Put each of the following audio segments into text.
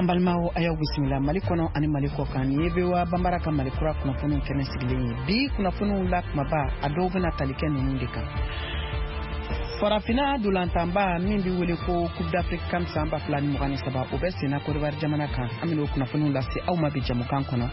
An balimaw, a y'aw bisimila Mali kɔnɔ ani Mali kɔ kan. Nin ye VOA Banbara ka Mali kura kunnafoniw kɛnɛ sigilen ye. Bi kunnafoniw la kumaba, a dɔw bɛna tali kɛ ninnu de kan: Farafinna dolantanba min bɛ wele ko Coupe d'Afrique CAN san 2023, o bɛ senna Côte jamana kan. An bɛn'o kunnafoniw lase aw ma bi jamukan kɔnɔ.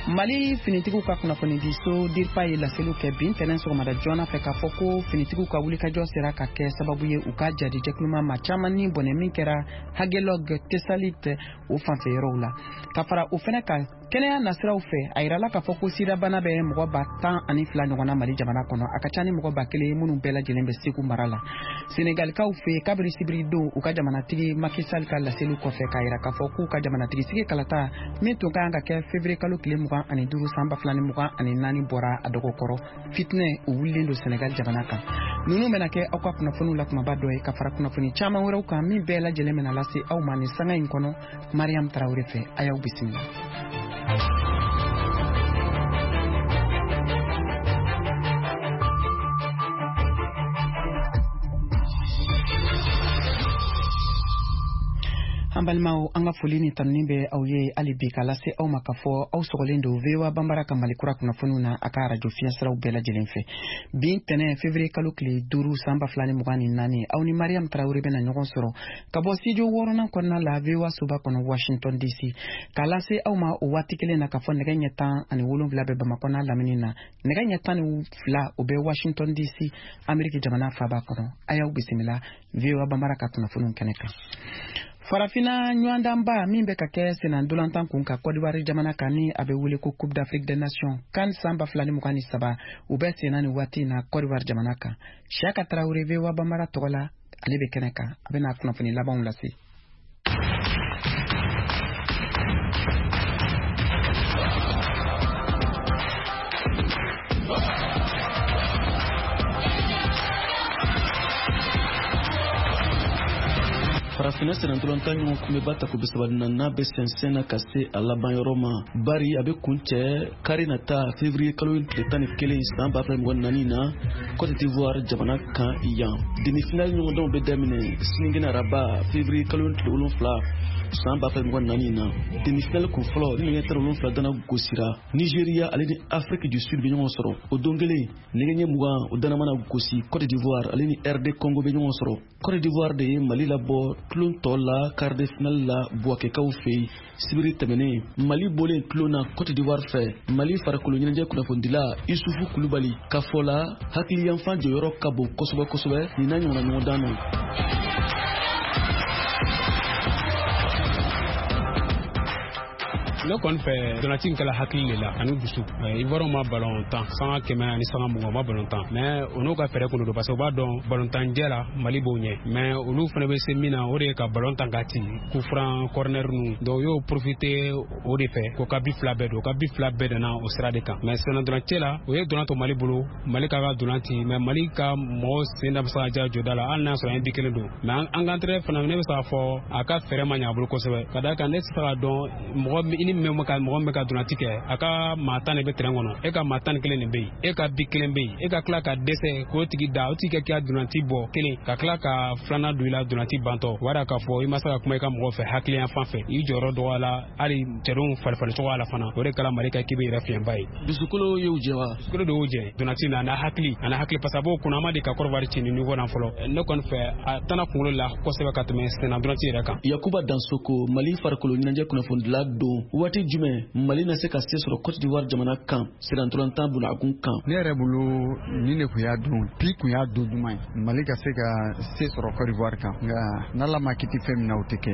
Mali finitigiw ka kunnafonidiso DIRPA ye laseliw kɛ bi ntɛnɛn sɔgɔmada joona fɛ k'a fɔ ko finitigiw ka wulikajɔ sera ka kɛ sababu ye u ka jadi jɛkuluma maa caman ni bɔnɛ min kɛra Aguelhok, Tessalit o fanfɛ yɔrɔw la. Ka fara o fɛnɛ kan, kɛnɛya nasiraw fɛ, a yirala k'a fɔ ko sidabana bɛ mɔgɔ 12,000 ɲɔgɔn na Mali jamana kɔnɔ. A ka ca ni mɔgɔ 1000 ye minnu bɛɛ lajɛlen bɛ Segu mara la. Senegalikaw fɛ, kabiri sibiri don u ka jamanatigi Macky Sall ka laseliw kɔfɛ k'a yira k'a fɔ k'u ka jamanatigi sigi kalata min tun ka kan ka kɛ février kalo tile 25 san 2024 bɔra a dɔgɔkɔrɔ, fitinɛ o wulilen don Senegal jamana kan. Ninnu bɛna kɛ aw ka kunnafoniw la kumaba dɔ ye, ka fara kunnafoni caman wɛrɛw kan min bɛɛ lajɛlen bɛna lase aw ma nin sanga in kɔnɔ Mariam Tarawele fɛ. A y'aw bisimila. An balimaw, an ka foli ni tanuni bɛ aw ye hali bi k'a lase aw ma k'a fɔ aw sɔgɔlen don VOA Banbara ka Mali kura kunnafoniw na a ka arajo fiɲɛsiraw bɛɛ lajɛlen fɛ. Bi tɛnɛ, février kalo tile 5 san 2024, aw ni Mariam Tarawele bɛna ɲɔgɔn sɔrɔ ka bɔ studio wɔɔrɔnan kɔnɔna la VOA soba kɔnɔ Washington DC, k'a lase aw ma o waati kelen na k'a fɔ nɛgɛ ɲɛ 17 bɛ Bamakɔ n'a lamini na, nɛgɛ ɲɛ 12 o bɛ Washington DC, Ameriki jamana faaba kɔnɔ. A y'aw bisimila VOA Banbara ka kunnafoniw kɛnɛ kan. Farafina ɲɔgɔndanba min bɛ ka kɛ senna ntolantan kun ka Côte d'Ivoire jamana kan, ni a bɛ wele ko Coupe d'Afrique des Nations CAN san 2023, u bɛ senna nin waati in na Côte d'Ivoire jamana kan. Siaka Tarawele, VOA Banbara tɔgɔ la, ale bɛ kɛnɛ kan, a bɛna kunnafoni labanw lase. Farafinna sennantolatan ɲɔgɔn kunbɛba tako 34nan bɛ sɛnsɛn na ka se a laban yɔrɔ ma, bari a bɛ kun cɛ kari nata, février kalo tile 11 san 2024 na, Côte d'Ivoire jamana kan yan. Demi-finale ɲɔgɔndanw bɛ daminɛ sinikɛnɛ araba, février kalo tile 7 san 2024 na. Demi-finale kun fɔlɔ, ni nɛgɛ 17 dana gosira, Nigeria ale ni Afrique du Sud bɛ ɲɔgɔn sɔrɔ. O don kelen, nɛgɛ ɲɛ 20 o dana mana gosi, Côte d'Ivoire ale ni RD Congo bɛ ɲɔgɔn sɔrɔ. Côte d'Ivoire de ye Mali labɔ tulon tɔ la quart de finale la Buwakɛkaw fɛ yen sibiri tɛmɛnen. Mali bɔlen tulon na Côte d'Ivoire fɛ, Mali farikolo ɲɛnajɛ kunnafonidila Isufu Kulubali ka fɔ la, hakiliyanfan jɔyɔrɔ ka bon kosɛbɛ kosɛbɛ nin n'a ɲɔgɔnna ɲɔgɔndan na. Ne kɔni fɛ, ntolanci in kɛla hakili de la ani dusu. Ivoiriyɛnw ma balon tan sanga 100 ani sanga 20, ma balon tan, mais o n'u ka fɛɛrɛ kun don, parce que u b'a dɔn balontanjɛ la Mali b'o ɲɛ, mais olu fana bɛ se min na, o de ye ka balon tan ka ci coup franc, corner ninnu. Donc u y'o profiter o de fɛ k'o ka bi fila bɛɛ don, o ka bi fila bɛɛ nana o sira de kan. Mais senna ntolanci la, o ye dolan to Mali bolo, Mali ka dolan ci, mais Mali ka mɔgɔw sen da bɛ se ka ja jɔda la, hali n'a sɔrɔ an ye bi kelen don. Mais an ka entraîneur fana, ne bɛ se k'a fɔ a ka fɛɛrɛ ma ɲɛ a bolo kosɛbɛ, ka d'a kan ne tɛ se k'a dɔn mɔgɔ i ni min ka mɔgɔ min bɛ ka dolanci kɛ, a ka maa 10 de bɛ terrain kɔnɔ, e ka maa 11 de bɛ yen, e ka bi kelen bɛ yen, e ka tila ka dɛsɛ k'o tigi da, o tigi ka k'i ka dolanci bɔ kelen, ka tila ka filanan don i la dolanci bantɔ, o b'a k'a fɔ i ma se ka kuma i ka mɔgɔ fɛ hakiliyan fan fɛ, i jɔyɔrɔ dɔgɔyala, hali cɛdenw falifali cogoya la fana. O de kɛra Mali ka équipe yɛrɛ fiɲɛba ye. Dusukolo y'u jɛ wa? Dusukolo de y'u jɛ dolanci na, a n'a hakili, a n'a hakili, parce que a b'o kunna, a ma de ka Côte ci ni niveau na fɔlɔ. Ne kɔni fɛ, a tana kunkolo la kosɛbɛ ka tɛmɛ senna dolanci yɛrɛ kan. Yakuba Dansoko, Mali farikolo ɲɛnajɛ kunnafonidila don. Waati jumɛn Mali na se ka se sɔrɔ Côte d'Ivoire jamana kan sennantolatan bunakun kan? Ne yɛrɛ bolo, nin de kun y'a don bi kun y'a don duman ye Mali ka se ka se sɔrɔ Côte d'Ivoire kan, nka n'Ala ma kiti fɛn min na, o tɛ kɛ.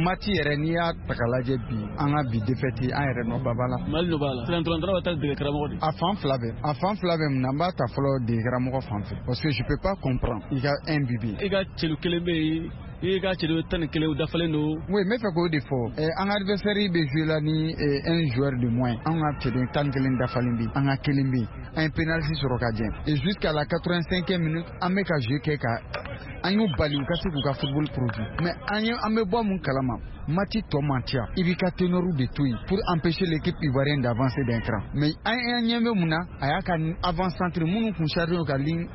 Match yɛrɛ, n'i y'a ta k'a lajɛ bi, an ka bi défaite, an yɛrɛ nɔ ba b'a la. Mali nɔ b'a la, sennantolatan bɛ taa dege karamɔgɔ de. A fan fila bɛɛ, a fan fila bɛɛ. Mun na? N b'a ta fɔlɔ dege karamɔgɔ fan fɛ, parce que je peux pas comprendre i ka un but bɛ yen. I ka celu kelen bɛ yen, i ka celu 11 dafalen don. Oui, n bɛ fɛ k'o de fɔ. An ka adversaire bɛ jouer la ni un joueur de moins, an ka cɛden 11 dafalen bɛ yen, an ka kelen bɛ yen, an ye penalty sɔrɔ ka jɛ, et jusqu'à la 85e minute an bɛ ka jouer kɛ ka an y'u bali u ka se k'u ka football produit. Mais an ye an bɛ bɔ mun kalama, match tɔ man ca, i b'i ka ténor de to yen pour empêcher l'équipe ivoirienne d'avancer d'un cran. Mais an ɲɛ bɛ mun na? A y'a ka avant centre minnu kun chargé ka ligne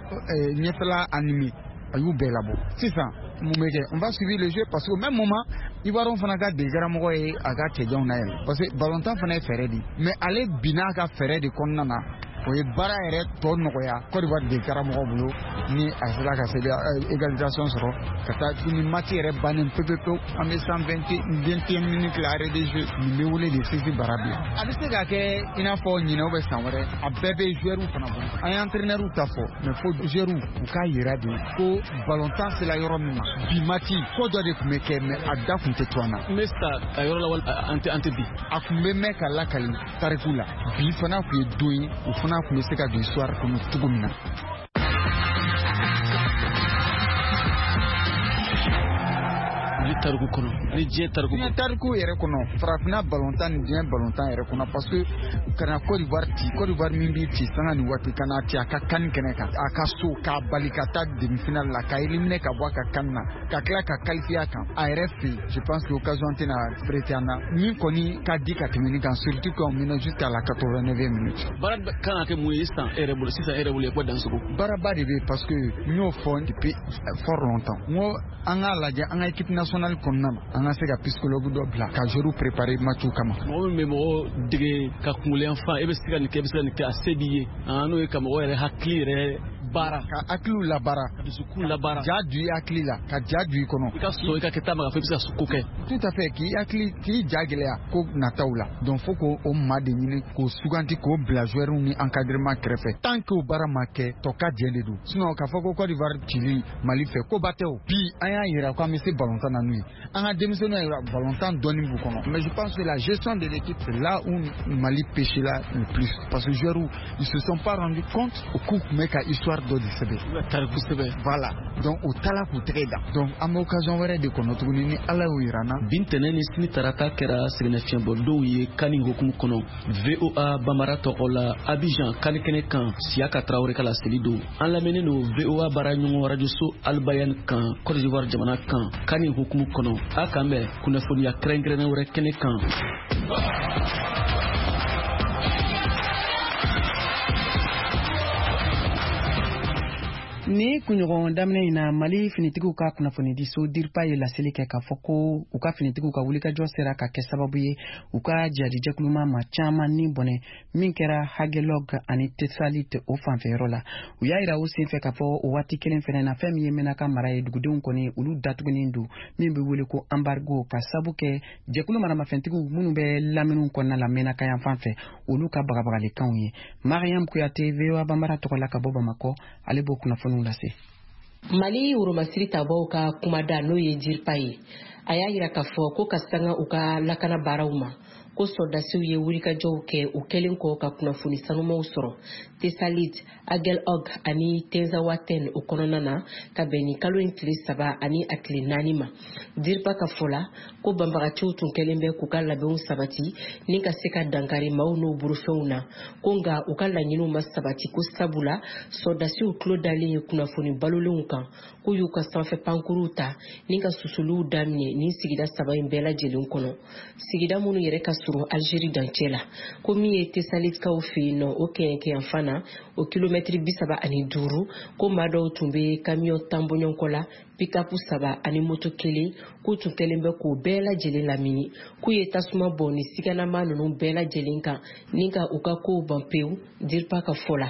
ɲɛfɛla animé, a y'u bɛɛ labɔ sisan. Mun bɛ kɛ? On va suivre le jeu, parce que au même moment Ivoirien fana ka degekaramɔgɔ ye a ka cɛjanw na yɛlɛ, parce que ballon fana ye fɛɛrɛ de ye, mais ale binna a ka fɛɛrɛ de kɔnɔna na. O ye baara yɛrɛ tɔ nɔgɔya Côte d'Ivoire degekaramɔgɔ bolo, ni a sera ka se égalisation sɔrɔ ka taa ni match yɛrɛ bannen pewu pewu. An bɛ 121 minutes la, arrêt de jeu. Nin bɛ wele de sisi bara bila. A bɛ se ka kɛ i n'a fɔ ɲinɛ bɛ san wɛrɛ. A bɛɛ bɛ joueurs fana bolo. An ye entraîneurs ta fɔ, mais fo joueurs u k'a yira de ko ballon sera yɔrɔ min ma bi, match ko dɔ de tun bɛ kɛ, mais a da tun tɛ to an na. N bɛ sa a yɔrɔ la wali an tɛ bi. A tun bɛ mɛn ka lakali tariku la. Bi fana tun ye don ye, o fana tun bɛ se ka don histoire kɔnɔ cogo min na. Mali tariku kɔnɔ ani diɲɛ tariku. Diɲɛ tariku yɛrɛ kɔnɔ, farafinna balontan ni diɲɛ balontan yɛrɛ kɔnɔ, parce que ka na Côte d'Ivoire ci, Côte d'Ivoire min b'i ci sanga ni waati, ka na ci a ka CAN kɛnɛ kan, a ka so, k'a bali ka taa demi-finale la, k'a éliminer ka bɔ a ka CAN na, ka tila ka qualifier a kan a yɛrɛ fɛ yen, je pense que occasion tɛna prêter an na min kɔni ka di ka tɛmɛ nin kan, surtout qu'on mène jusqu'à la 89e minute. Baara kan ka kɛ mun ye sisan e yɛrɛ bolo, sisan e yɛrɛ bolo ko Dansogo? Baaraba de bɛ yen, parce que n y'o fɔ depuis fort longtemps, n ko an k'a lajɛ an ka équipe nationale kɔnɔna na, an ka se ka psychologue dɔ bila ka joueurs préparer match kama. Mɔgɔ min bɛ mɔgɔ dege ka kunkolo yan fan, e bɛ se ka nin kɛ, e bɛ se ka nin kɛ, a se b'i ye, n'o ye ka mɔgɔ yɛrɛ hakili yɛrɛ baara, ka hakiliw labaara, ka dusukun labaara, ja don i hakili la, ka ja don i kɔnɔ, i ka sɔn i ka kɛta ma, ka fɔ i bɛ se ka ko kɛ. Tout à fait, k'i hakili k'i ja gɛlɛya ko nataw la. Donc fo k'o o maa de ɲini k'o suganti k'o bila joueurs ni encadrement kɛrɛfɛ. Tant que o baara ma kɛ, tɔ ka jɛ de don. Sinon k'a fɔ ko Côte d'Ivoire cili Mali fɛ, koba tɛ o. Bi an y'a yira k'an bɛ se ballon na n'u ye, an ka denmisɛnninw y'a yira ballon dɔɔni b'u kɔnɔ, mais je pense que la gestion de l'équipe, c'est là où Mali pêché là le plus, parce que joueurs, ils se sont pas rendu compte u k'u tun bɛ ka histoire dɔ de sɛbɛn, tariku sɛbɛn. Voilà, donc u taala k'u tɛgɛ da. Donc an bɛ occasion wɛrɛ de kɔnɔ tuguni ni Ala y'o yira an na. Bi ntɛnɛn ni sini tarata kɛra sɛgɛnnafiɲɛbɔdonw ye CAN hukumu kɔnɔ. VOA Bambara tɔgɔ la, Abidjan CAN kɛnɛ kan, Siyaka Tarawele ka laseli don. An lamɛnnen don VOA baaraɲɔgɔn rajoso Albayan kan, Côte d'Ivoire jamana kan, CAN hukumu kɔnɔ. A k'an bɛn kunnafoniya kɛrɛnkɛrɛnnen wɛrɛ kɛnɛ kan. Ni kunɲɔgɔn daminɛ in na, Mali finitigiw ka kunnafonidiso DIRPA ye laseli kɛ k'a fɔ ko u ka finitigiw ka wulikajɔ sera ka kɛ sababu ye u ka jihadijɛkuluma ma caman ni bɔnɛ min kɛra Aguelhok ani Tessalit o fanfɛyɔrɔ la. U y'a yira o senfɛ k'a fɔ o waati kelen fɛnɛ na, fɛn min ye Menaka mara ye, dugudenw kɔni olu datugunen don, min bɛ wele ko embargo, ka sabu kɛ jɛkulu maramafɛntigiw minnu bɛ laminiw kɔnɔna la Menaka yan fan fɛ, olu ka bagabagalikanw ye. Mariam Kuyate, VOA Bambara tɔgɔ la ka bɔ Bamakɔ, ale b'o kunnafoniw lase. Mali woromasiri tabaw ka kumada, n'o ye DIRPA ye, a y'a yira k'a fɔ ko ka sanga u ka lakana baaraw ma, ko sɔrɔdasiw ye wulikajɔw kɛ u kɛlen kɔ ka kunnafoni sanumaw sɔrɔ Tessalit, Aguelhok ani Tinzaouaten o kɔnɔna na, ka bɛn ni kalo in tile 3 ani a tile 4 ma. DIRPA ka fɔ la ko banbagaciw tun kɛlen bɛ k'u ka labɛnw sabati ni ka se ka dankari maaw n'u bolofɛnw na, ko nka u ka laɲiniw ma sabati, ko sabula sɔrɔdasiw tulo dalen ye kunnafoni balolenw kan, k'u y'u ka sanfɛ pankuruw ta ni ka susuliw daminɛ nin sigida 3 in bɛɛ lajɛlen kɔnɔ, sigida minnu yɛrɛ ka surun Algérie dancɛ la. Ko min ye Tessalitkaw fɛ yen nɔ, o kɛɲɛkɛyanfan na, o kilomɛtiri 35, ko maa dɔw tun bɛ kamiyɔn 10 bɔɲɔgɔnkɔ la, pikapu 3 ani moto 1, k'u tun kɛlen bɛ k'o bɛɛ lajɛlen lamini, k'u ye tasuma bɔn ni siganama ninnu bɛɛ lajɛlen kan ni ka u ka kow ban pewu. DIRPA ka fɔ la,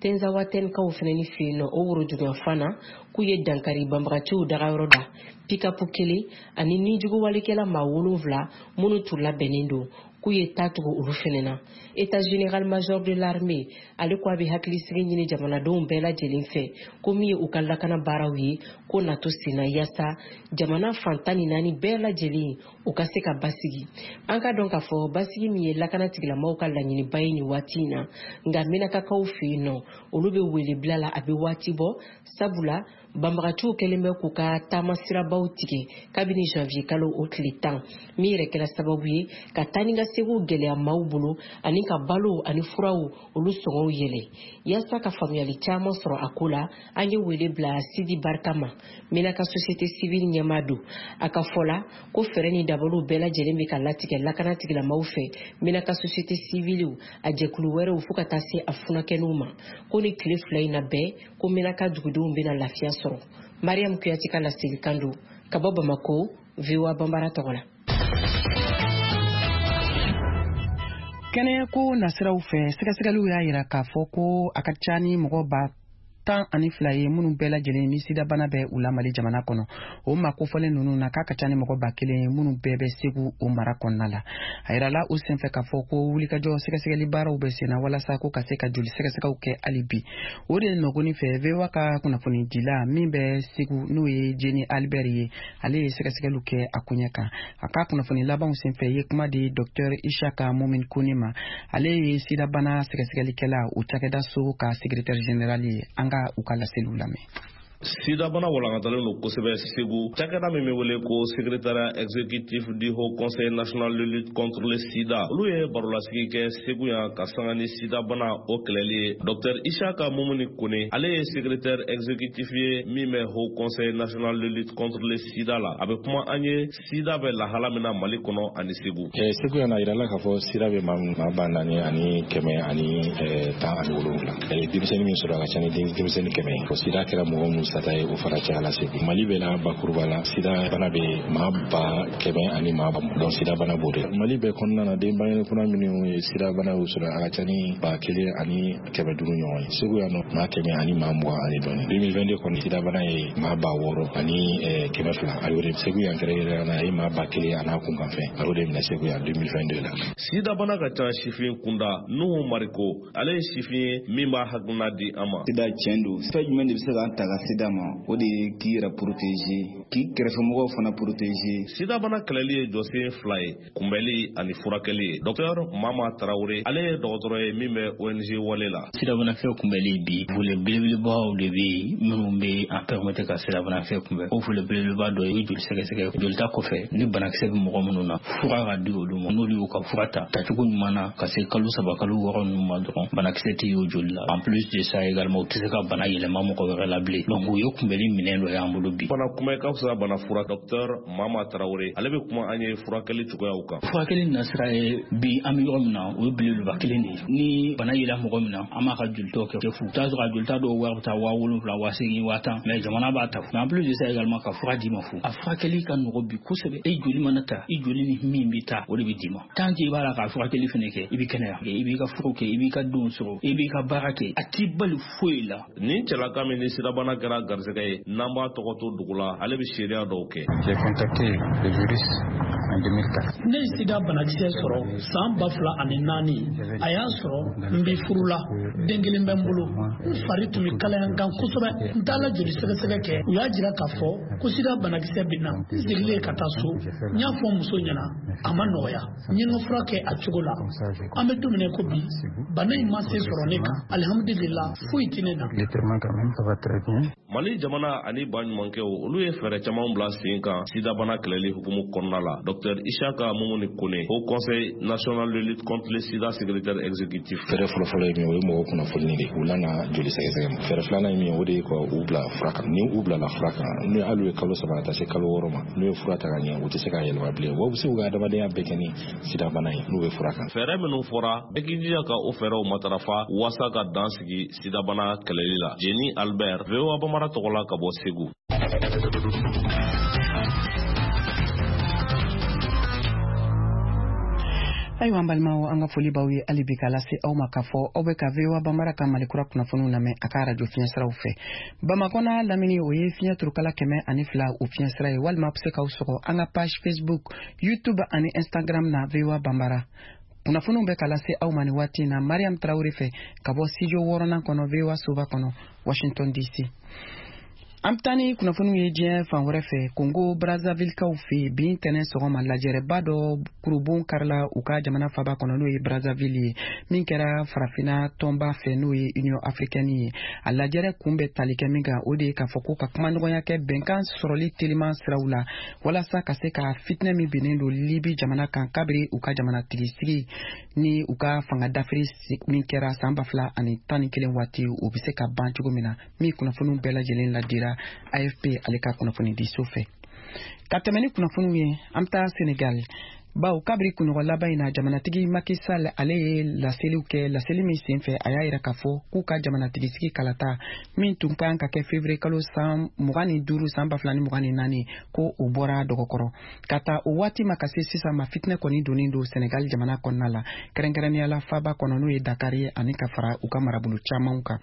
Tinzaouatenkaw fɛnɛ ni fɛ yen nɔ, o worojuguyanfan na, k'u ye dankari banbagaciw dagayɔrɔ da, pikapu 1 ani nijuguwalikɛla maa 7 minnu tun labɛnnen don, k'u ye taa tugu olu fɛnɛ na. État général major de l'armée, ale ko a bɛ hakilisigi ɲini jamanadenw bɛɛ lajɛlen fɛ, ko min ye u ka lakana baaraw ye, ko nato senna yaasa jamana fan 14 bɛɛ lajɛlen u ka se ka basigi. An ka dɔn k'a fɔ basigi min ye lakana tigilamaaw ka laɲiniba ye nin waati in na, nka Menakakaw fɛ yen nɔ, olu bɛ wele bila la a bɛ waati bɔ, sabula banbagaciw kɛlen bɛ k'u ka taama sirabaw tigɛ kabini janvier kalo o tile 10, min yɛrɛ kɛra sababu ye ka taa ni ka segiw gɛlɛya maaw bolo ani ka balo ani furaw olu sɔngɔw yɛlɛ. Yaasa ka faamuyali caman sɔrɔ a ko la, an ye wele bila Sidi Barika ma, Menaka société civile ɲɛmaa don. A ka fɔ la ko fɛɛrɛ ni dabaliw bɛɛ lajɛlen bɛ ka latigɛ lakana tigilamaaw fɛ, Menaka société civile a jɛkulu wɛrɛw, fo ka taa se a furakɛniw ma, ko ni tile 2 in na bɛɛ, ko Menaka dugudenw bɛna lafiya sɔrɔ. sɔrɔ. Mariam Kuyate ka laselikan don ka bɔ Bamako, VOA Banbara tɔgɔ la. Kɛnɛyako nasiraw fɛ, sɛgɛsɛgɛliw y'a yira k'a fɔ ko a ka ca ni mɔgɔ 12,000 ye minnu bɛɛ lajɛlen ni sidabana bɛ u la Mali jamana kɔnɔ. O maa kofɔlen ninnu na, k'a ka ca ni mɔgɔ 1000 ye minnu bɛɛ bɛ Segu o mara kɔnɔna la. A yirala o senfɛ k'a fɔ ko wulikajɔ sɛgɛsɛgɛli baaraw bɛ senna walasa ko ka se ka joli sɛgɛsɛgɛw kɛ hali bi. O de nɔgɔni fɛ, VOA ka kunnafonidila min bɛ Segu, n'o ye Jeni Albert ye, ale ye sɛgɛsɛgɛliw kɛ a koɲɛ kan. A ka kunnafoni labanw senfɛ ye kuma di Dr Ishaka Mumin Kone ma. Ale ye sidabana sɛgɛsɛgɛlikɛla o cakɛda so ka secrétaire général ye. An ka u ka laseliw lamɛn. Sidabana walankatalen don kosɛbɛ Segu. Cakɛda min bɛ wele ko secrétariat exécutif du Haut Conseil national de lutte contre le sida, olu ye barolasigi kɛ Segu yan ka sanga ni sidabana o kɛlɛli ye. Dr Ishaka Mumuni Kone, ale ye secrétaire exécutif ye min bɛ Haut Conseil national de lutte contre le sida la. A bɛ kuma an ye sida bɛ lahala min na Mali kɔnɔ ani Segu. Segu yan, a yirala k'a fɔ sida bɛ maa 4117. Denmisɛnnin min sɔrɔ, a ka ca ni denmisɛnnin 100 ye. Sida kɛra mɔgɔ mun sata ye, o fara caya la Segu. Mali bɛɛ la, bakuruba la, sida bana bɛ maa 100,000 ani maa, donc sida bana b'o de. Mali bɛɛ kɔnɔna na, den bangenen kura minnu ye sida bana y'u sɔrɔ, a ka ca ni 1500 ɲɔgɔn ye. Segu yan nɔ, maa 100 ani maa 20 ani dɔɔni. 2022 kɔni, sida bana ye maa 6200, a y'o de Segu yan kɛrɛnkɛrɛnnenya la, a ye maa 1000 a n'a kunkanfɛn, a y'o de minɛ Segu yan 2022 la. Sida bana ka ca sifin kunda. Nuhu Mariko, ale ye sifin ye min b'a hakilina di an ma. Sida tiɲɛ don, fɛn jumɛn de bɛ se k'an ta ka sida ma? O de ye k'i yɛrɛ protéger, k'i kɛrɛfɛmɔgɔw fana protéger. Sidabana kɛlɛli ye jɔsen fila ye, kunbɛli ani furakɛli ye. Docteur Mama Tarawele, ale ye dɔgɔtɔrɔ ye min bɛ ONG Wale la. Sidabanakisɛ kunbɛli bi, volet belebelebaw de bɛ yen minnu bɛ an permettre ka sidabanakisɛ kunbɛn. O volet belebeleba dɔ ye joli sɛgɛsɛgɛ. Jolita kɔfɛ, ni banakisɛ bɛ mɔgɔ minnu na, fura ka di olu ma. N'olu y'u ka fura ta tacogo ɲuman na, ka se kalo 3 kalo 6 ninnu ma dɔrɔn, banakisɛ tɛ y'o joli la. En plus de ça également, u tɛ se ka bana yɛlɛma mɔgɔ wɛrɛ la bilen. Donc o ye kunbɛli minɛn dɔ y'an bolo bi. Bana kunbɛn ka fisa bana fura. Docteur Mama Tarawele, ale bɛ kuma an ye furakɛli cogoyaw kan. Furakɛli nasira ye bi, an bɛ yɔrɔ min na, o ye belebeleba kelen de ye. Ni bana yera mɔgɔ min na, an b'a ka jolitaw kɛ fu. I t'a sɔrɔ a jolita dɔw wari bɛ taa 7000, 8000, 10,000, mais jamana b'a ta. Mais en plus de ça également, ka fura d'i ma fu. A furakɛli ka nɔgɔ bi kosɛbɛ. E joli mana ta, i joli ni min bɛ taa, o de bɛ d'i ma. Tant que i b'a la k'a furakɛli fɛnɛ kɛ, i bɛ kɛnɛya, i b'i ka furu kɛ, i b'i ka denw sɔrɔ, i b'i ka baara kɛ, a t'i bali foyi la. Nin cɛlaka min ni sidabana kɛra garisɛgɛ ye, n'an b'a tɔgɔ to dugu la, ale bɛ seereya dɔw kɛ. J'ai contacté le virus en 2004. Ne ye sida banakisɛ sɔrɔ san 2004. A y'a sɔrɔ n bɛ furu la, den kelen bɛ n bolo. N fari tun bɛ kalaya n kan kosɛbɛ. N taala joli sɛgɛsɛgɛ kɛ, u y'a jira k'a fɔ ko sida banakisɛ bɛ n na. N seginnen ka taa so, n y'a fɔ n muso ɲɛna, a ma nɔgɔya. N ye n ka fura kɛ a cogo la. An bɛ don min na ko bi, bana in ma se sɔrɔ ne kan. Alihamudulila, foyi tɛ ne na. Mali jamana ani baɲumankɛw, olu ye fɛɛrɛ caman bila sen kan sidabana kɛlɛli hukumu kɔnɔna la. Dr Ishaka Mumuni Kone, Haut Conseil national de lutte contre le sida secrétaire exécutif. Fɛɛrɛ fɔlɔfɔlɔ ye min ye, o ye mɔgɔw kunnafoni de u lana joli sɛgɛsɛgɛ ma. Fɛɛrɛ filanan ye min ye, o de ye ka u bila fura kan. Ni u bilala fura kan, n'u hali ye kalo 3 ka taa se kalo 6 ma, n'u ye fura ta ka ɲɛ, u tɛ se k'a yɛlɛma bilen. Wa u bɛ se k'u ka adamadenya bɛɛ kɛ ni sidabana ye n'u bɛ fura kan. Fɛɛrɛ minnu fɔra, bɛɛ k'i jija ka o fɛɛrɛw matarafa walasa ka dan sigi sidabana kɛlɛli la. Jeni Albert, VOA Bambara tɔgɔ la ka bɔ Segu. Ayiwa, an balimaw, an ka foli b'aw ye hali bi k'a lase aw ma k'a fɔ aw bɛ ka VOA Bambara ka Malikura kunnafoniw lamɛn a ka arajo fiɲɛsiraw fɛ. Bamakɔ n'a lamini, o ye fiɲɛ turukala 102 o fiɲɛsira ye, walima a bɛ se k'aw sɔgɔ an ka page Facebook, YouTube ani Instagram na, VOA Bambara. Kunnafoniw bɛ ka lase aw ma nin waati in na Mariam Tarawele fɛ ka bɔ studio 6nan kɔnɔ, VOA soba kɔnɔ, Washington DC. An bɛ taa ni kunnafoniw ye diɲɛ fan wɛrɛ fɛ. Kongo Brazzavillekaw fɛ yen, bi tɛnɛn sɔgɔma, lajɛrɛba dɔ kurubon karila u ka jamana faba kɔnɔ, n'o ye Brazzaville ye, min kɛra farafinna tɔnba fɛ, n'o ye Union africaine ye. A lajɛrɛ kun bɛ tali kɛ min kan, o de ye k'a fɔ ko ka kumaɲɔgɔnya kɛ bɛnkan sɔrɔli teliman siraw la, walasa ka se ka fitinɛ min binnen don Libi jamana kan kabiri u ka jamanatigisigi ni u ka fanga dafiri min kɛra san 2011 waati, o bɛ se ka ban cogo min na. Min kunnafoniw bɛɛ lajɛlen ladira AFP ale ka kunnafoni diso fɛ. Ka tɛmɛ ni kunnafoniw ye, an bɛ taa Senegal. Bawo kabiri kunɲɔgɔn laban in na, jamanatigi Macky Sall, ale ye laseliw kɛ. Laseli min senfɛ, a y'a yira k'a fɔ k'u ka jamanatigisigi kalata min tun kan ka kɛ février kalo san 25, san 2024, ko o bɔra dɔgɔkɔrɔ. Ka ta o waati ma ka se sisan ma, fitinɛ kɔni donnen don Senegal jamana kɔnɔna la, kɛrɛnkɛrɛnnenya la faba kɔnɔ, n'o ye Dakar ye, ani ka fara u ka marabolo camanw kan.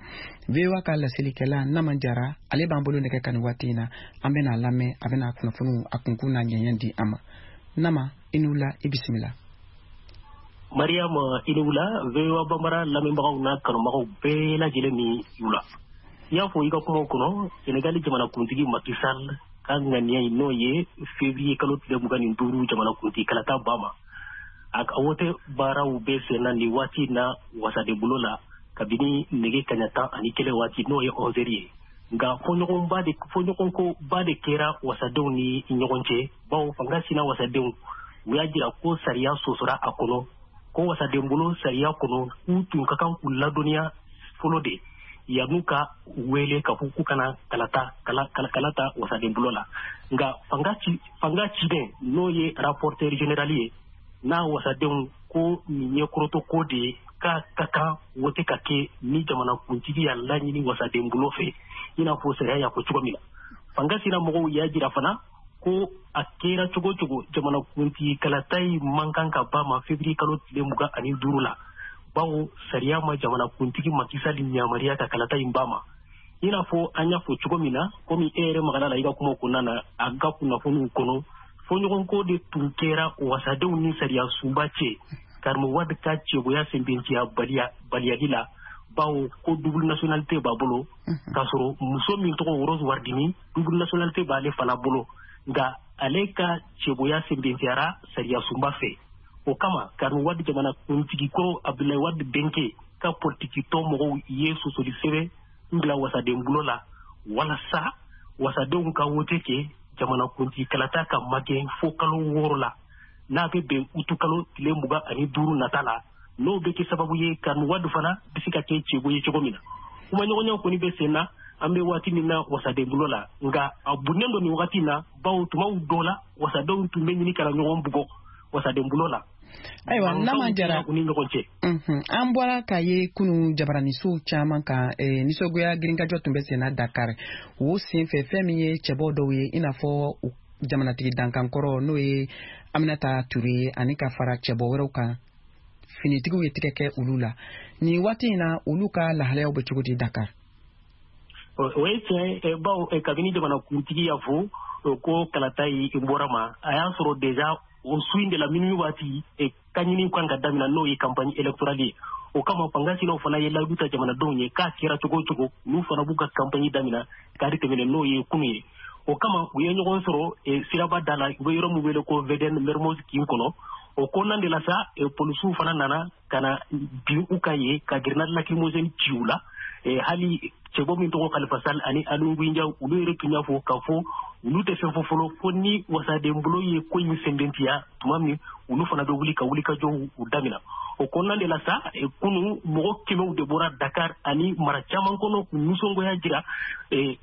VOA ka laselikɛla Nama Jara, ale b'an bolo nɛgɛ kan nin waati in na. An bɛna lamɛn, a bɛna kunnafoniw a kunkun n'a ɲɛɲɛ di an ma. Nama, i ni wula, i bisimila. Mariam, i ni wula. VOA Bambara lamɛnbagaw n'a kanubagaw bɛɛ lajɛlen ni wula. I y'a fɔ i ka kumaw kɔnɔ, Senegali jamanakuntigi Macky Sall ka ŋaniya ye, n'o ye février kalo tile 25 jamanakuntigi kalata ba ma, a ka wote baaraw bɛ sen na nin waati na wasadenbolo la kabini nɛgɛ kaɲa 11 waati, n'o ye 11 heures ye. Nka fɔɲɔgɔnko ba de kɛra wasadenw ni ɲɔgɔn cɛ, bawo fanga sina wasadenw, u y'a jira ko sariya sɔsɔra a kɔnɔ, ko wasadenbolo sariya kɔnɔ, k'u tun ka kan k'u ladɔnniya fɔlɔ de yan'u ka wele ka fɔ k'u kana kalata wasadenbolo la. Nka fanga ciden, n'o ye rapporteur général ye, n'a wasadenw ko nin ye kɔrɔtɔ ko de ye, k'a ka kan wote ka kɛ ni jamanakuntigi y'a laɲini wasadenbolo fɛ, i n'a fɔ sariya y'a fɔ cogo min na. Fanga sina mɔgɔw y'a jira fana ko a kɛra cogo cogo, jamanakuntigi kalata yi man kan ka ba ma février kalo tile 25 la, bawo sariya ma jamanakuntigi Macky Sall yamaruya ka kalata in ba ma. I n'a fɔ an y'a fɔ cogo min na, komi e yɛrɛ magara la i ka kuma kɔnɔna na, a ka kunnafoniw kɔnɔ, fɔɲɔgɔnko de tun kɛra wasadenw ni sariya sunba cɛ Karim Wade ka cɛboya sɛnbɛntiya baliyali la, bawo ko double nationalité b'a bolo, k'a sɔrɔ muso min tɔgɔ Rose Wardini, double nationalité b'ale fana bolo. Nka ale ka cɛboya sɛnbɛntiyara sariya sunba fɛ. O kama, Karim Wade, jamana kuntigi kɔrɔ Abdoulaye Wade denkɛ, ka politiki tɔn mɔgɔw ye sɔsɔli sɛbɛn n bila wasaden bolo la walasa wasadenw ka wote kɛ jamanakuntigi kalata ka magɛn fo kalo 6 la, n'a bɛ bɛn utu kalo tile 25 nata la. N'o bɛ kɛ sababu ye, Karim Wade fana bɛ se ka kɛ cɛbo ye cogo min na. Kumaɲɔgɔnya kɔni bɛ sen na an bɛ waati min na wasaden bolo la, nka a bunnen don nin wagati in na, bawo tumaw dɔ la, wasadenw tun bɛ ɲini ka na ɲɔgɔn bugɔ wasaden bolo la. Ayiwa, Nama Jara, u ni ɲɔgɔn cɛ. An bɔra k'a ye kunu jabaranisow caman kan, nisɔngoya girinkajɔ tun bɛ senna Dakar. O senfɛ, fɛn min ye cɛbɔ dɔw ye, i n'a fɔ jamanatigi dankankɔrɔ, n'o ye Aminata Ture ye, ani ka fara cɛbɔ wɛrɛw kan, finitigiw ye tigɛ kɛ olu la. Nin waati in na, olu ka lahalayaw bɛ cogo di Dakar? O ye tiɲɛ, bawo kabini jamanakuntigi y'a fɔ ko kalata yi bɔra ma, a y'a sɔrɔ déjà o su in de la, minuit waati, ka ɲini kan ka damina, n'o ye campagne électorale ye. O kama, fanga sinaw fana ye layidu ta jamanadenw ye k'a kɛra cogo o cogo, n'u fana b'u ka campagne damina kari tɛmɛnen, n'o ye kunu ye. O kama, u ye ɲɔgɔn sɔrɔ siraba da la, u bɛ yɔrɔ min wele ko VDN Mermoz kin kɔnɔ. O kɔnɔna de la sa, polisiw fana nana ka na bin u kan ye ka grenade lacrymogène ci u la. Hali cɛbɔ min tɔgɔ Khalifa Sall ani Aly Ngouille Ndiaye, olu yɛrɛ tun y'a fɔ k'a fɔ olu tɛ fɛn fɔ fɔlɔ fo ni wasadenbolo ye ko in sɛnbɛntiya tuma min, olu fana bɛ wuli ka wulikajɔw u damina. O kɔnɔna de la sa, kunu mɔgɔ kɛmɛw de bɔra Dakar ani mara caman kɔnɔ k'u nisɔngoya jira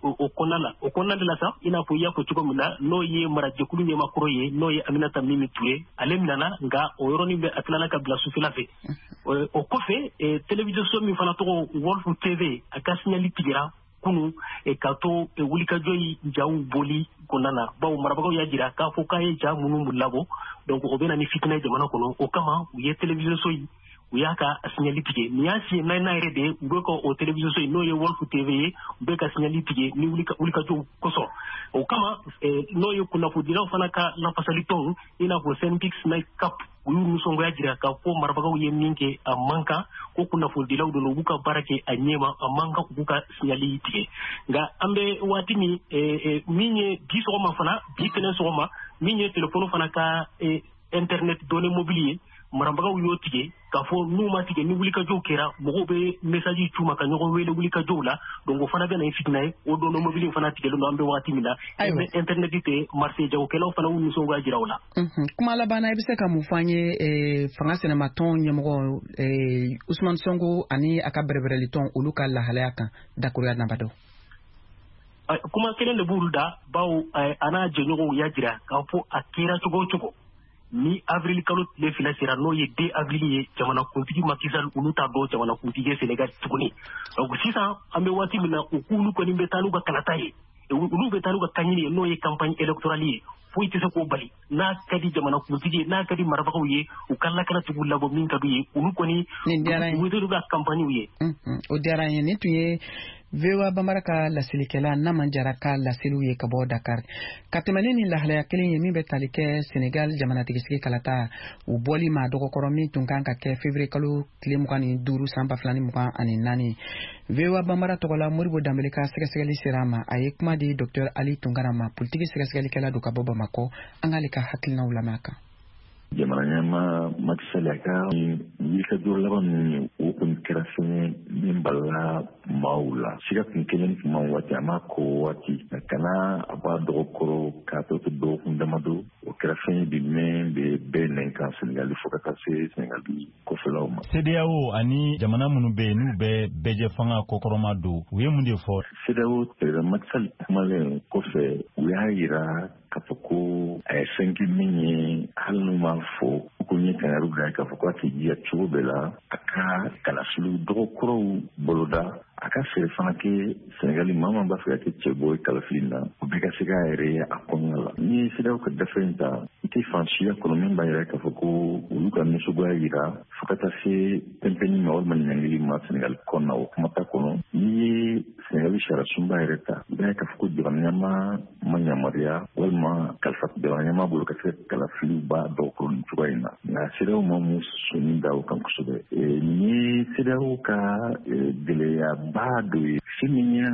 o kɔnɔna la. O kɔnɔna de la sa, i n'a fɔ i y'a fɔ cogo min na, n'o ye marajɛkulu ɲɛmakɔrɔ ye, n'o ye Aminata Mimi Ture, ale minɛna, nka o yɔrɔnin bɛ a tilala ka bila sufɛla fɛ. O kɔfɛ, télévision min fana tɔgɔ Walf TV, a ka signal tigɛra kunu ka to wulikajɔ yi jaw boli kɔnɔna na, bawo marabagaw y'a jira k'a fɔ k'a ye ja minnu labɔ, donc o bɛ na ni fitinɛ jamana kɔnɔ. O kama, u ye télévision so yi, u y'a ka signal tigɛ. Nin y'a siɲɛ naaninan yɛrɛ de ye u bɛ ka o télévision so in, n'o ye Walf TV ye, u bɛ ka signal tigɛ ni wulikajɔw kosɔn. O kama, n'o ye kunnafonidilaw fana ka lafasalitɔnw, i n'a fɔ SYNPICS SNAICAP, u y'u nisɔngoya jira k'a fɔ marabagaw ye min kɛ, a man kan, ko kunnafonidilaw don, u b'u ka baara kɛ a ɲɛma, a man kan u b'u ka signal tigɛ. Nka an bɛ waati min, min ye bi sɔgɔma fana, bi tɛnɛn sɔgɔma, min ye telefɔni fana ka internet données mobile ye, marabagaw y'o tigɛ k'a fɔ n'u ma tigɛ, ni wulikajɔw kɛra, mɔgɔw bɛ message c'u ma ka ɲɔgɔn wele wulikajɔw la, donc o fana bɛ na ni fitinɛ ye. O données mobile fana tigɛlen don an bɛ waati min na, internet tɛ marché, jagokɛlaw fana y'u nisɔngoya jira o la. Kuma laban na, i bɛ se ka mun fɔ an ye fanga sinamatɔn ɲɛmɔgɔ Ousmane Sonko ani a ka bɛrɛbɛrɛlitɔn, olu ka lahalaya kan, dakuruya damadɔ? Kuma kelen de b'olu da, bawo a n'a jɛɲɔgɔnw y'a jira k'a fɔ a kɛra cogo o cogo, Ni avril kalo tile 2 sera, n'o ye 2 avril ye, jamanakuntigi Macky Sall, olu t'a dɔn jamanakuntigi ye Sénégal tuguni. Donc sisan an bɛ waati min na, u k'olu kɔni bɛ taa n'u ka kalata ye, olu bɛ taa n'u ka kaɲini ye, n'o ye campagne électorale ye. Foyi tɛ se k'o bali. N'a ka di jamanakuntigi ye, n'a ka di marabagaw ye, u ka lakanatigiw labɔ min ka d'u ye, olu kɔni u bɛ ka campagne ye. O diyara n ye. Nin tun ye VOA Bambara ka laselikɛla Naman Jara ka laseliw ye ka bɔ Dakar. Ka tɛmɛ ni nin lahalaya kelen ye min bɛ tali kɛ Senegal jamanatigisigi kalata o bɔli ma dɔgɔkɔrɔ, min tun kan ka kɛ février kalo tile 25 san 2024. VOA Bambara tɔgɔ la, Modibo Danbele ka sɛgɛsɛgɛli sera a ma. A ye kuma di Dr Ali Tunkara ma, politiki sɛgɛsɛgɛlikɛla don ka bɔ Bamakɔ. An k'ale ka hakilinaw lamɛn a kan. Jamana ɲɛma Macky Sall, a ka wulikajɔ laban min ye, o kɔni kɛra fɛn ye min balala maaw la. Siga kun kelen tun ma waati a ma ko waati nka kana a b'a dɔgɔkɔrɔ k'a tɔ to dɔgɔkun damadɔ. O kɛra fɛn ye bi min bɛ bɛɛ nɛn kan Senegali, fo ka taa se Senegali kɔfɛlaw ma. CEDEAO ani jamana minnu bɛ yen, n'u bɛ bɛɛjɛ fanga kɔkɔrɔma don, u ye mun de fɔ? CEDEAO président Macky Sall kumalen kɔfɛ, u y'a yira k'a fɔ ko a ye fɛn kɛ min ye, hali n'u m'a fɔ ko n ye kangari bila k'a fɔ k'a k'i jija cogo bɛɛ la a ka kalafiliw dɔgɔkɔrɔw boloda, a ka fɛɛrɛ fana kɛ Senegali maa min b'a fɛ ka kɛ cɛbɔ ye kalafili na, o bɛɛ ka se k'a yɛrɛ ye a kɔnɔna la. N'i ye CEDEAO ka gafe in ta, i tɛ fan siya kɔnɔ min b'a yira k'a fɔ ko olu ka nisɔngoya yira fo ka taa se pɛnpɛnni ma walima ɲangili ma Senegali kɔnɔna, o kuma t'a kɔnɔ. N'i ye Senegali sariya sunba yɛrɛ ta, i b'a ye k'a fɔ ko jamana ɲɛmaa ma yamaruya walima kalifa jamana ɲɛmaa bolo ka se ka kalafiliw ba dɔgɔkɔrɔ nin cogoya in na. Nka CEDEAO ma mun sɔnni da o kan kosɛbɛ. Nin ye CEDEAO ka gɛlɛyaba dɔ ye, fɛn min ye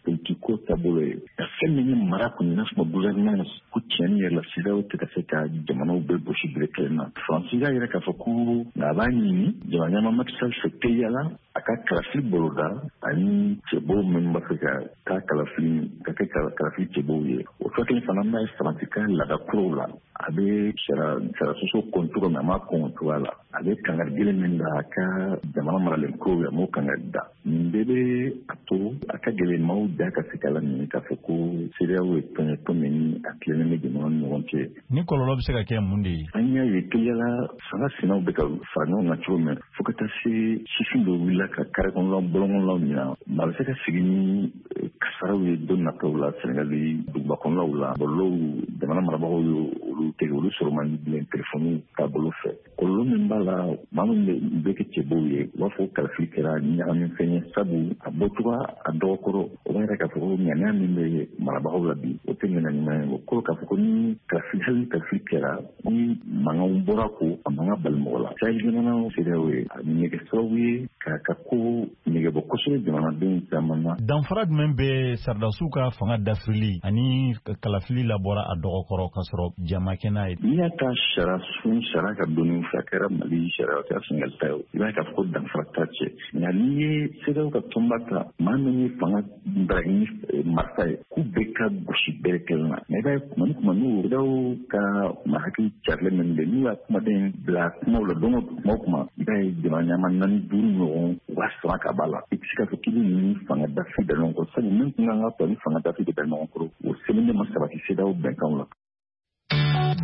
politiko taabolo ye, ka fɛn min ye mara kɔni, n'a fɔ gouvernance ko tiɲɛni yɛrɛ la, CEDEAO tɛ ka se ka jamanaw bɛɛ gosi bere kelen na. Faransi y'a yɛrɛ k'a fɔ ko nka a b'a ɲini jamana ɲɛmaa Macky Sall fɛ teliya la a ka kalafili boloda ani cɛbɔw minnu b'a fɛ ka taa kalafili ka kɛ kalafili cɛbɔw ye. O furakɛli fana n'a ye Faransi ka laada kuraw la, a bɛ sariya sɔsɔ kɔn cogo min, a m'a kɔn o cogoya la. A bɛ kangari gɛlɛn min da a ka jamana maralen kuraw ye, a m'o kangari da. Nin bɛɛ bɛ a to a ka gɛlɛn maaw da ka se k'a laɲini k'a fɔ ko CEDEAO ye tɔn ye, tɔn min ni a tilennen bɛ jamana ni ɲɔgɔn cɛ. Ni kɔlɔlɔ bɛ se ka kɛ mun de ye? An y'a ye teliyala fanga sinaw bɛ ka fara ɲɔgɔn kan cogo min, fo ka taa se sifin dɔw wulila ka kare kɔnɔlaw, bɔlɔn kɔnɔlaw minɛ. Maa bɛ se ka sigi ni kasaraw ye don nataw la Senegali duguba kɔnɔlaw la. Bɔlɔlɔw, jamana marabagaw ye olu tigɛ, olu sɔrɔ man di bilen telefɔniw taabolo fɛ. Kɔlɔlɔ min b'a la, maa min bɛ kɛ cɛbɔw ye, u b'a fɔ kalafili kɛra ɲagami fɛn ye, sabu a bɔcogo a dɔgɔkɔrɔ, o b'a yira k'a fɔ ko ŋaniya min bɛ marabagaw la bi, o tɛ ŋaniya ɲuman ye. O kɔrɔ k'a fɔ ko ni kalafili, hali ni kalafili kɛra, ni mankanw bɔra, ko a mankan bali mɔgɔ la. Sahel jamanaw CEDEAO ye a bɛ kɛ sababu ye k'a ka ko nɛgɛbɔ kosɛbɛ jamanadenw caman na. Danfara jumɛn bɛ sɔrɔdasiw ka fanga dafirili ani kalafili labɔra a dɔgɔkɔrɔ ka sɔrɔ jama kɛ n'a ye? N'i y'a ta sariya sun, sariya ka donni fɛ, a kɛra Mali sariya, a kɛra Senegal ta ye, i b'a ye k'a fɔ ko danfara t'a cɛ. Nka n'i ye CEDEAO ka tɔnba ta, maa min ye fanga bara ni marifa ye, k'u bɛɛ ka gosi bɛɛ kelen na. Nka i b'a ye kuma ni kuma, n'u CEDEAO ka maa hakili carilen min bɛ, n'u y'a kumaden bila kumaw la don o kuma o kuma, i b'a ye jamana ɲɛmaa naani duuru ɲɔgɔn u b'a sama ka b'a la. I tɛ se k'a fɔ k'i bɛ nin fanga dafi da ɲɔgɔn kɔrɔ, sabu min tun kan ka to ni fanga dafi de da ɲɔgɔn kɔrɔ, o sɛbɛnnen ma sabati CEDEAO bɛnkanw la.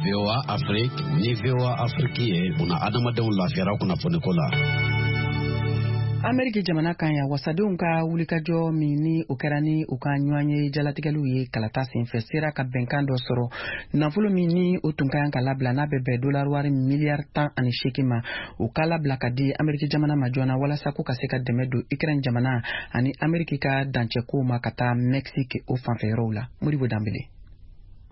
VOA Afrique ni VOA Afrique ye una adamadenw lafiyara kunnafoniko la. Ameriki jamana kan yan, wasadenw ka wulikajɔ min ni o kɛra ni u ka ɲɔgɔn ye jalatigɛliw ye kalata senfɛ, sera ka bɛnkan dɔ sɔrɔ. Nafolo min ni o tun ka kan ka labila, n'a bɛ bɛn dolari wari miliyari 18 ma, o ka labila ka di Ameriki jamana ma joona walasa ko ka se ka dɛmɛ don Ukraine jamana ani Ameriki ka dancɛkow ma ka taa Mexique o fanfɛ yɔrɔw la. Modibo Danbele.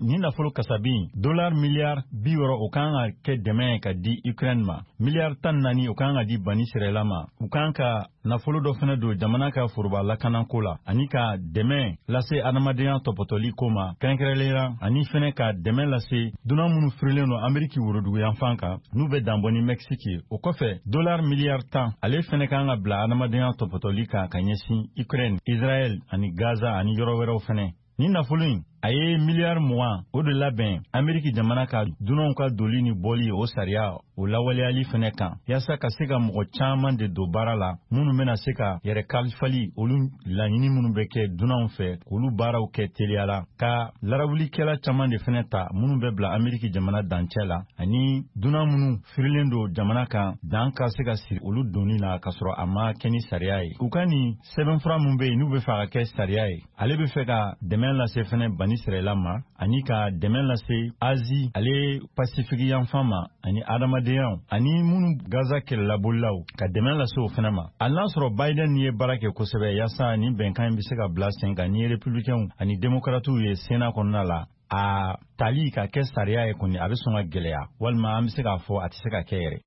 Ni nafolo kasabi dolar miliyari 60, o kan ka kɛ dɛmɛ ka di Ukraine ma. Miliyari 14, o kan ka di Bani Sirɛla ma. U kan ka nafolo dɔ fɛnɛ don jamana ka foroba lakanako la, ani ka dɛmɛ lase adamadenya tɔpɔtɔli ko ma kɛrɛnkɛrɛnlenya, ani fɛnɛ ka dɛmɛ lase dunan minnu firilen don Ameriki woroduguyanfan kan, n'u bɛ danbɔ ni Mexique ye. O kɔfɛ, dolar miliyari 10, ale fɛnɛ kan ka bila adamadenya tɔpɔtɔli kan ka ɲɛsin Ukraine, Israɛl ani Gaza ani yɔrɔ wɛrɛw fɛnɛ. Ni nafolo in A ye miliyari 20 o de labɛn Ameriki jamana ka dunanw ka doli ni bɔli o sariya o lawaleyali fɛnɛ kan, yaasa ka se ka mɔgɔ caman de don baara la minnu bɛna se ka yɛrɛ kalifali olu laɲini minnu bɛ kɛ dunanw fɛ k'olu baaraw kɛ teliya la, ka larawulikɛla caman de fɛnɛ ta minnu bɛ bila Ameriki jamana dancɛ la, ani dunan minnu firilen don jamana kan dan ka se ka siri olu donni na k'a sɔrɔ a ma kɛ ni sariya ye. U ka nin sɛbɛnfura min bɛ yen n'u bɛ fɛ a ka kɛ sariya ye, ale bɛ fɛ ka dɛmɛ lase fɛnɛ Bani Sirayila ma, ani ka dɛmɛ lase Azi ale Pasifiki yanfan ma, ani adamadenya ani minnu Gaza kɛlɛlabolilaw, ka dɛmɛ lase o fɛnɛ ma. Hali n'a sɔrɔ Biden ye baara kɛ kosɛbɛ yaasa nin bɛnkan in bɛ se ka bila sen kan ni républicains ani démocrates ye Sénat kɔnɔna la, a tali ka kɛ sariya ye kɔni a bɛ sɔn ka gɛlɛya, walima an bɛ se k'a fɔ a tɛ se ka kɛ yɛrɛ.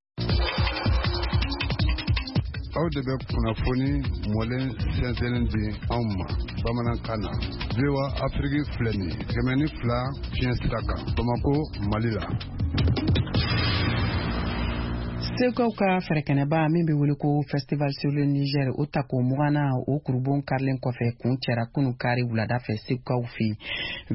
Aw de bɛ kunnafoni mɔlen sɛnsɛnnen di anw ma bamanankan na. VOA Afrique filɛ nin ye 102 fiɲɛ sira kan Bamako, Mali la. Segukaw ka fɛrɛkɛnɛba min bɛ wele ko Festival sur le Niger, o tako 20nan o kurubon karilen kɔfɛ kun cɛra kunu kari wulada fɛ Segukaw fɛ yen.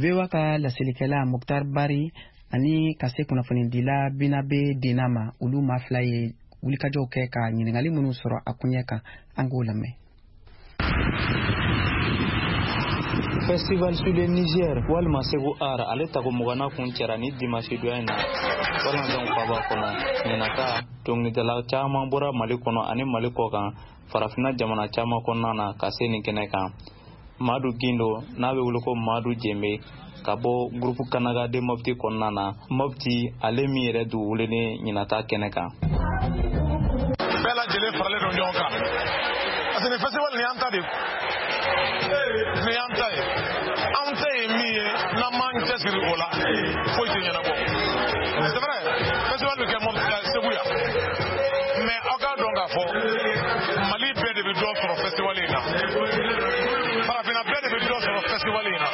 VOA ka laselikɛla Moctar Barry ani ka se kunnafonidila Binabe Dena ma, olu maa fila ye wulikajɔw kɛ ka ɲininkali minnu sɔrɔ a koɲɛ kan, an k'o lamɛn. Festival sur le Niger walima Segu Art, ale tako 20nan kun cɛra ni dimanche donya in na Walanzanw faba kɔnɔ. Ɲinata dɔnkilidala caman bɔra Mali kɔnɔ ani Mali kɔ kan, farafinna jamana caman kɔnɔna na ka se nin kɛnɛ kan. Madu Gindo n'a bɛ wele ko Madu Jembe ka bɔ groupe Kanaga de Mopti kɔnɔna na, Mopti ale min yɛrɛ dugu welelen ɲinata kɛnɛ kan. Bɛɛ lajɛlen faralen don ɲɔgɔn kan parce que nin festival nin y'an ta de ye, nin y'an ta ye, anw ta ye min ye, n'an m'an cɛsiri o la foyi tɛ ɲɛnabɔ. C'est vrai, festival bɛ kɛ Segu yan, mais aw k'a dɔn k'a fɔ Mali bɛɛ de bɛ dɔ sɔrɔ festival in na, farafinna bɛɛ de bɛ dɔ sɔrɔ festival in na.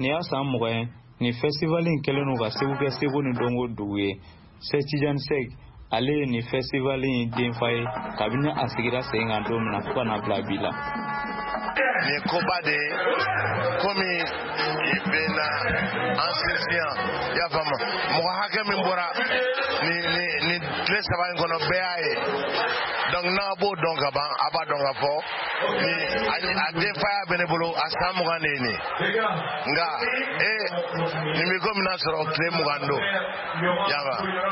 Nin y'a san 20 ye nin festival in kɛlen don ka Segu kɛ seko ni dɔnko dugu ye. Sɛki Tijani Sɛki ale ye nin festival in denfa ye kabini a sigira sen kan don min na fo ka na bila bi la. Nin ye koba de ye, komi bɛ na an sinsin yan, i y'a faamu, mɔgɔ hakɛ min bɔra nin tile 3 in kɔnɔ, bɛɛ y'a ye. Donc n'a b'o dɔn ka ban, a b'a dɔn k'a fɔ ni a denfaya bɛ ne bolo, a san 20 de ye nin ye. Nka nin bɛ komi n'a sɔrɔ tile 20 don, y'a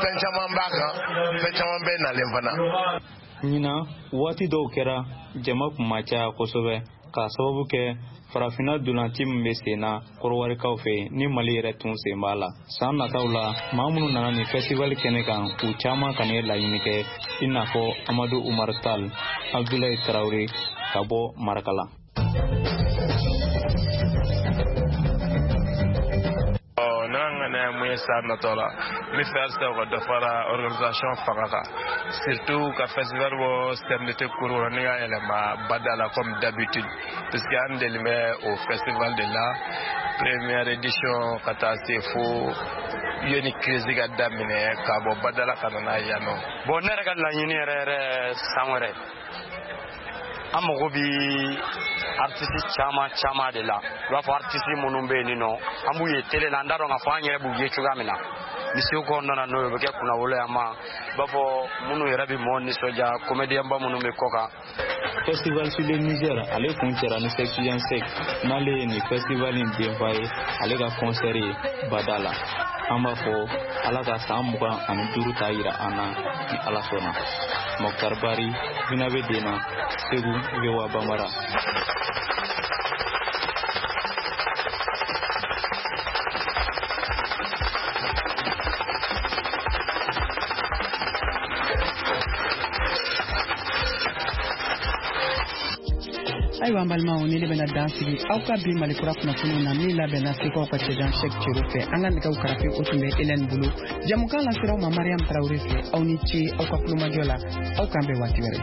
fɛn caman b'a kan, fɛn caman bɛ nalen fana. Ɲinan waati dɔw kɛra jama kun ma caya kosɛbɛ k'a sababu kɛ farafinna dolanci min bɛ sen na kɔrɔwarikaw fɛ ni Mali yɛrɛ tun sen b'a la. San nataw la maa minnu nana nin festival kɛnɛ kan, u caman kana ye laɲini kɛ, i n'a fɔ Amadu Umar Tal, Abdoulaye Traoré ka bɔ Marakala. Ne ka ŋaniya ye mun ye san natɔ la, n bɛ fɛ halisa u ka dɔ fara organisation fanga kan, surtout ka festival bɔ CMDT cour kɔnɔ ni ka yɛlɛma bada la comme d'habitude, puisque an deli bɛ o festival de la première édition ka taa se fo yanni crise ka daminɛ ka bɔ bada la ka na n'a ye yan nɔ. Bon, ne yɛrɛ ka laɲini yɛrɛ yɛrɛ, san wɛrɛ an mago bi artiste caman caman de la. I b'a fɔ artiste minnu bɛ yen nɔ, an b'u ye télé la, an t'a dɔn k'a fɔ an yɛrɛ b'u ye cogoya min na. Ni Segu nana n'o ye, o bɛ kɛ kunnawolo ye an ma. I b'a fɔ minnu yɛrɛ bɛ mɔgɔw nisɔndiya, comédien ba minnu bɛ kɔ kan. Festival sur le Niger ale kun cɛra ni Sɛki Tijani Sɛki n'ale ye nin festival in denfa ye, ale ka concert ye bada la. An b'a fɔ Ala ka san 25 ta yira an na ni Ala sɔnna. Moctar Barry, Binabe Dena, Segu, VOA Bambara. Ayiwa an balimaw, ni ne bɛna dan sigi aw ka bi Malikura kunnafoniw na min labɛnna Segukaw ka cɛjan Sɛki Cero fɛ. An ka nɛgɛw karafe o tun bɛ Hélène bolo. Jamukan lasera aw ma Mariam Traoré fɛ. Aw ni ce aw ka kulomajɔ la, aw k'an bɛn waati wɛrɛ.